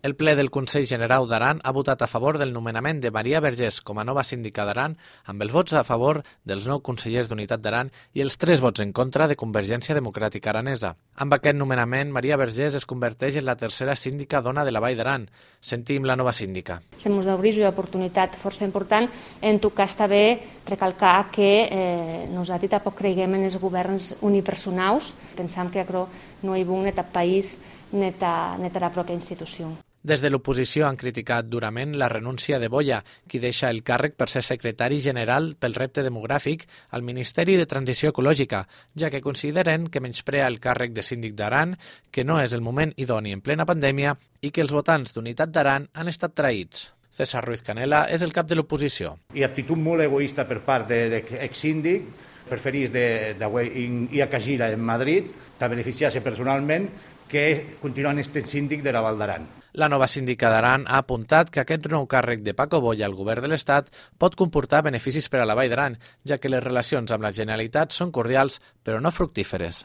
El ple del Consell General d'Aran ha votat a favor del nomenament de Maria Vergés com a nova síndica d'Aran, amb els vots a favor dels 9 consellers d'Unitat d'Aran i els 3 vots en contra de Convergència Democràtica Aranesa. Amb aquest nomenament, Maria Vergés es converteix en la tercera síndica dona de la Vall d'Aran. Sentim la nova síndica. Se mos d'obrir una oportunitat força important. En tot cas, també recalcar que nosaltres tampoc creiem en els governs unipersonals. Pensam que aquò no hi bon net al país, net a la pròpia institució. Des de l'oposició han criticat durament la renúncia de Boya, qui deixa el càrrec per ser secretari general pel repte demogràfic al Ministeri de Transició Ecològica, ja que consideren que menysprea el càrrec de síndic d'Aran, que no és el moment idoni en plena pandèmia i que els votants d'Unitat d'Aran han estat traïts. César Ruiz Canela és el cap de l'oposició. I actitud molt egoista per part de l'exsíndic, preferís ir a Cagira en Madrid, de beneficiar-se personalment, que continuant este síndic de la Val d'Aran. La nova síndica d'Aran ha apuntat que aquest nou càrrec de Paco Boya al govern de l'Estat pot comportar beneficis per a la Vall d'Aran, ja que les relacions amb la Generalitat són cordials però no fructíferes.